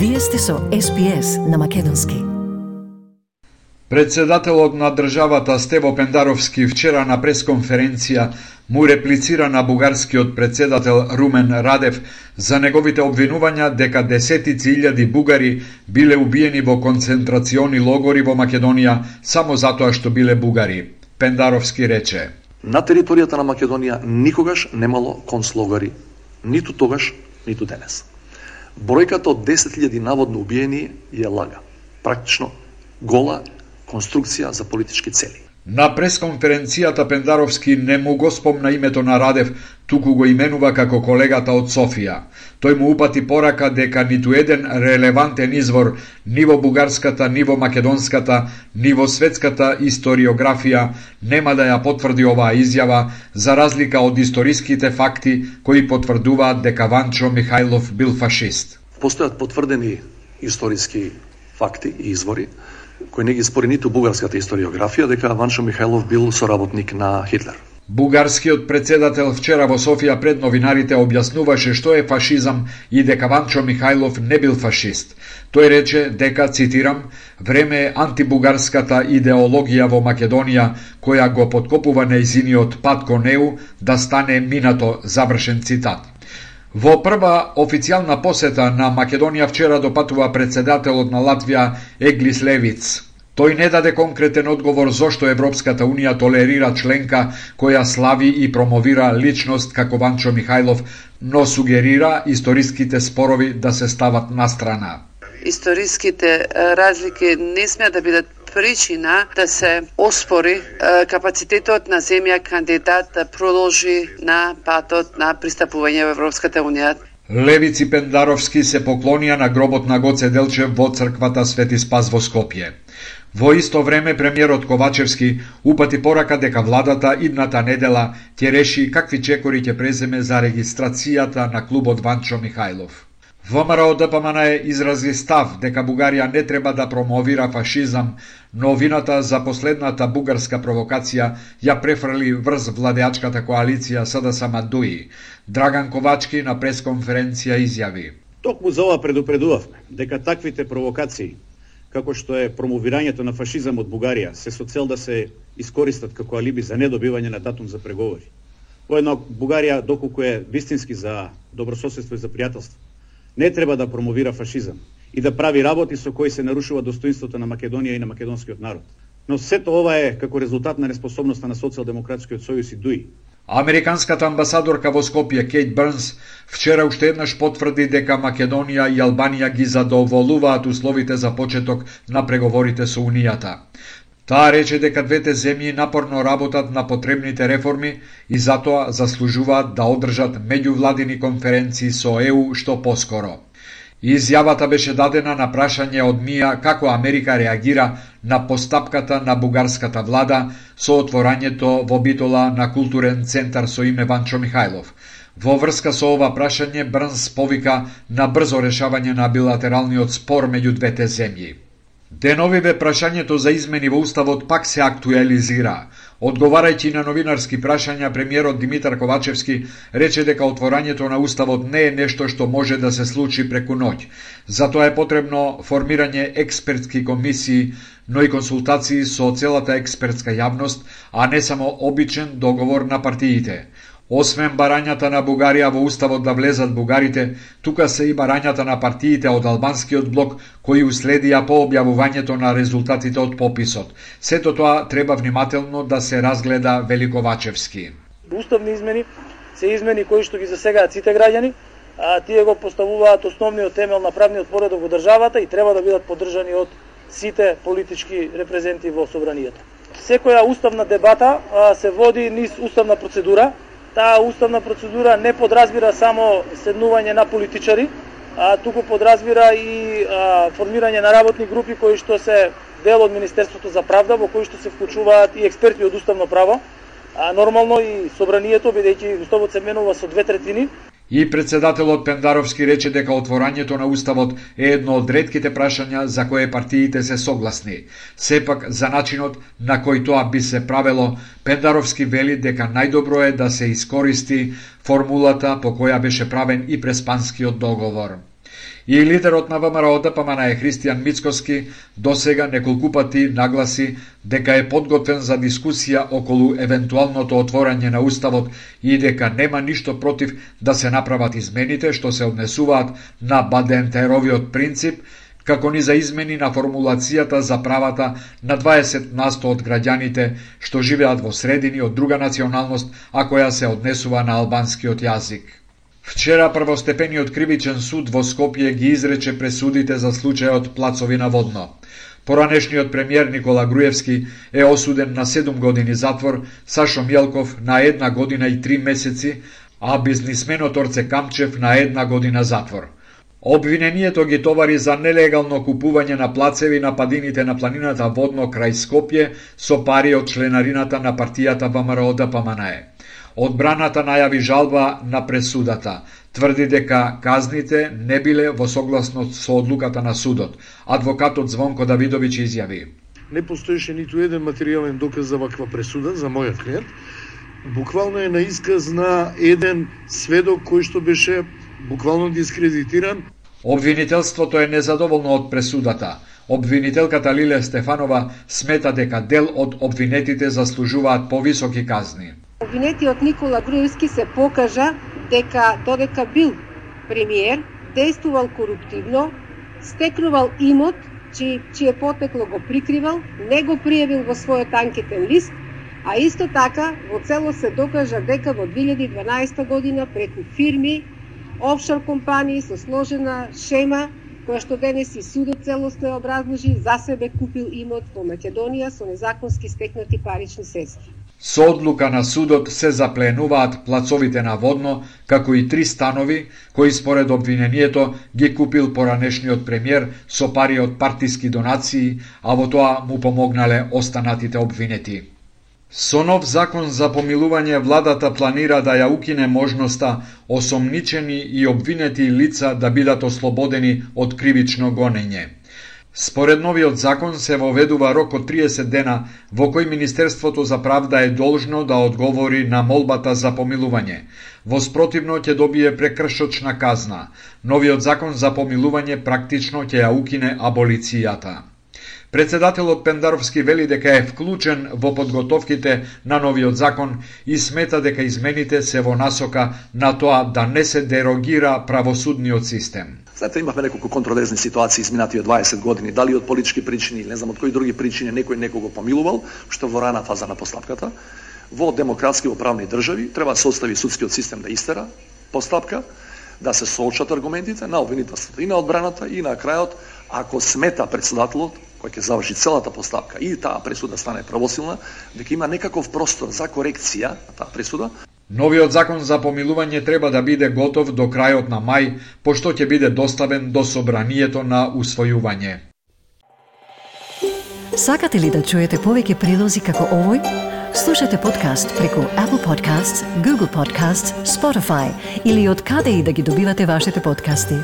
Вие сте со SPS на македонски. Председателот на државата Стево Пендаровски вчера на пресконференција му реплицира на бугарскиот председател Румен Радев за неговите обвинувања дека десетици илјади бугари биле убиени во концентрациони логори во Македонија само затоа што биле бугари. Пендаровски рече: На територијата на Македонија никогаш немало концлогори, ниту тогаш, ниту денес. Бројката од 10.000 наводно убиени е лага. Практично гола конструкција за политички цели. На пресконференцијата Пендаровски не му го спомна името на Радев, туку го именува како колегата од Софија. Тој му упати порака дека ниту еден релевантен извор ни во бугарската, ни во македонската, ни во светската историографија нема да ја потврди оваа изјава, за разлика од историските факти кои потврдуваат дека Ванчо Михајлов бил фашист. Постојат потврдени историски факти и извори кои не ги спори ниту бугарската историографија дека Ванчо Михајлов бил соработник на Хитлер. Бугарскиот председател вчера во Софија пред новинарите објаснуваше што е фашизам и дека Ванчо Михајлов не бил фашист. Тој рече дека, цитирам, време е антибугарската идеологија во Македонија која го подкопува нејзиниот пат кон ЕУ да стане минато, завршен цитат. Во прва официјална посета на Македонија вчера допатува председателот на Латвија Еглис Левиц. Тој не даде конкретен одговор зошто Европската Унија толерира членка која слави и промовира личност како Ванчо Михајлов, но сугерира историските спорови да се стават настрана. Историските разлики не смеа да бидат причина да се оспори капацитетот на земја кандидат да продолжи на патот на пристапување во Европската Унија. Левиц и Пендаровски се поклонија на гробот на Гоце Делчев во црквата Свети Спас во Скопје. Во исто време премиерот Ковачевски упати порака дека владата идната недела ќе реши какви чекори ќе преземе за регистрацијата на клубот Ванчо Михајлов. ВМРО ДПМН изрази став дека Бугарија не треба да промовира фашизам, но вината за последната бугарска провокација ја префрли врз владеачката коалиција СДСМ-ДУИ. Драган Ковачки на пресконференција изјави: Токму за ова предупредувавме дека таквите провокации, како што е промовирањето на фашизам од Бугарија, се со цел да се искористат како алиби за недобивање на датум за преговори. Воедно Бугарија, доколку е вистински за добрососедство и за пријателство, не треба да промовира фашизам и да прави работи со кои се нарушува достоинството на Македонија и на македонскиот народ. Но сето ова е како резултат на неспособноста на Социјалдемократскиот сојуз и ДУИ. Американската амбасадорка во Скопје Кейт Бернс вчера уште еднаш потврди дека Македонија и Албанија ги задоволуваат условите за почеток на преговорите со Унијата. Таа рече дека двете земји напорно работат на потребните реформи и затоа заслужуваат да одржат меѓувладини конференции со ЕУ што поскоро. Изјавата беше дадена на прашање од МИА како Америка реагира на постапката на бугарската влада со отворањето во Битола на културен центар со име Ванчо Михајлов. Во врска со ова прашање Брнс повика на брзо решавање на билатералниот спор меѓу двете земји. Деновиве прашањето за измени во Уставот пак се актуализира. Одговарајќи на новинарски прашања, премиерот Димитар Ковачевски рече дека отворањето на Уставот не е нешто што може да се случи преку ноќ. Затоа е потребно формирање експертски комисии, но и консултации со целата експертска јавност, а не само обичен договор на партиите. Освен барањата на Бугарија во Уставот да влезат бугарите, тука се и барањата на партиите од албанскиот блок кои уследија по објавувањето на резултатите од пописот. Сето тоа треба внимателно да се разгледа, вели Ковачевски. Уставни измени се измени кои што ги засегаат сите граѓани, а тие го поставуваат основниот темел на правниот поредок во државата и треба да бидат поддржани од сите политички репрезенти во собранието. Секоја уставна дебата се води низ уставна процедура. Таа уставна процедура не подразбира само седнување на политичари, а туку подразбира и формирање на работни групи кои што се дел од Министерството за правда, во кои што се вклучуваат и експерти од уставно право, а нормално и собранието, бидејќи уставот се менува со 2/3. И председателот Пендаровски рече дека отворањето на Уставот е едно од ретките прашања за кое партиите се согласни. Сепак, за начинот на кој тоа би се правело, Пендаровски вели дека најдобро е да се искористи формулата по која беше правен и преспанскиот договор. И лидерот на ВМРО-ДПМНЕ Христијан Мицкоски досега неколку пати нагласи дека е подготвен за дискусија околу евентуалното отворање на Уставот и дека нема ништо против да се направат измените што се однесуваат на Бадентеровиот принцип, како ни за измени на формулацијата за правата на 20% од граѓаните што живеат во средини од друга националност, а која се однесува на албанскиот јазик. Вчера првостепениот кривичен суд во Скопје ги изрече пресудите за случајот Плацови на Водно. Поранешниот премиер Никола Груевски е осуден на 7 години затвор, Сашо Мјелков на 1 година и 3 месеци, а бизнисменот Орце Камчев на 1 година затвор. Обвинението ги товари за нелегално купување на плацеви на падините на планината Водно крај Скопје со пари од членарината на партијата ВМРО-ДПМНЕ. Одбраната најави жалба на пресудата. Тврди дека казните не биле во согласност со одлуката на судот. Адвокатот Звонко Давидовиќ изјави: Не постоеше ниту еден материјален доказ за ваква пресуда за мојот клиент. Буквално е на исказ на еден сведок кој што беше буквално дискредитиран. Обвинителството е незадоволно од пресудата. Обвинителката Лиле Стефанова смета дека дел од обвинетите заслужуваат повисоки казни. Обвинетиот Никола Груевски се покажа дека додека бил премиер, действувал коруптивно, стекнувал имот, чие потекло го прикривал, не го пријавил во својот анкетен лист, а исто така во цело се докажа дека во 2012 година преку фирми, офшор компании со сложена шема, која што денес и судот целосно ја образложи, за себе купил имот во Македонија со незаконски стекнати парични средства. Со одлука на судот се запленуваат плацовите на Водно, како и 3 станови, кои според обвинението ги купил поранешниот премиер со пари од партиски донации, а во тоа му помогнале останатите обвинети. Со нов закон за помилување владата планира да ја укине можноста осомничени и обвинети лица да бидат ослободени од кривично гонење. Според новиот закон се воведува рок од 30 дена во кој Министерството за правда е должно да одговори на молбата за помилување. Во спротивно ќе добие прекршочна казна. Новиот закон за помилување практично ќе ја укине аболицијата. Председателот Пендаровски вели дека е вклучен во подготовките на новиот закон и смета дека измените се во насока на тоа да не се дерогира правосудниот систем. Знаете, имавме неколку контроверзни ситуации изминатиот 20 години, дали од политички причини, не знам од кои други причини некој некого помилувал, што во рана фаза на постапката. Во демократски во правни држави треба да се остави судскиот систем да истера постапка, да се соочат аргументите на обвинителството и на одбраната и на крајот, ако смета председателот кој ќе заврши целата постапка и таа пресуда стане правосилна, дека има некаков простор за корекција на таа пресуда. Новиот закон за помилување треба да биде готов до крајот на мај, пошто ќе биде доставен до собранието на усвојување. Сакате ли да чуете повеќе прилози како овој? Слушате подкаст преку Apple Podcasts, Google Podcasts, Spotify или од каде и да ги добивате вашите подкасти.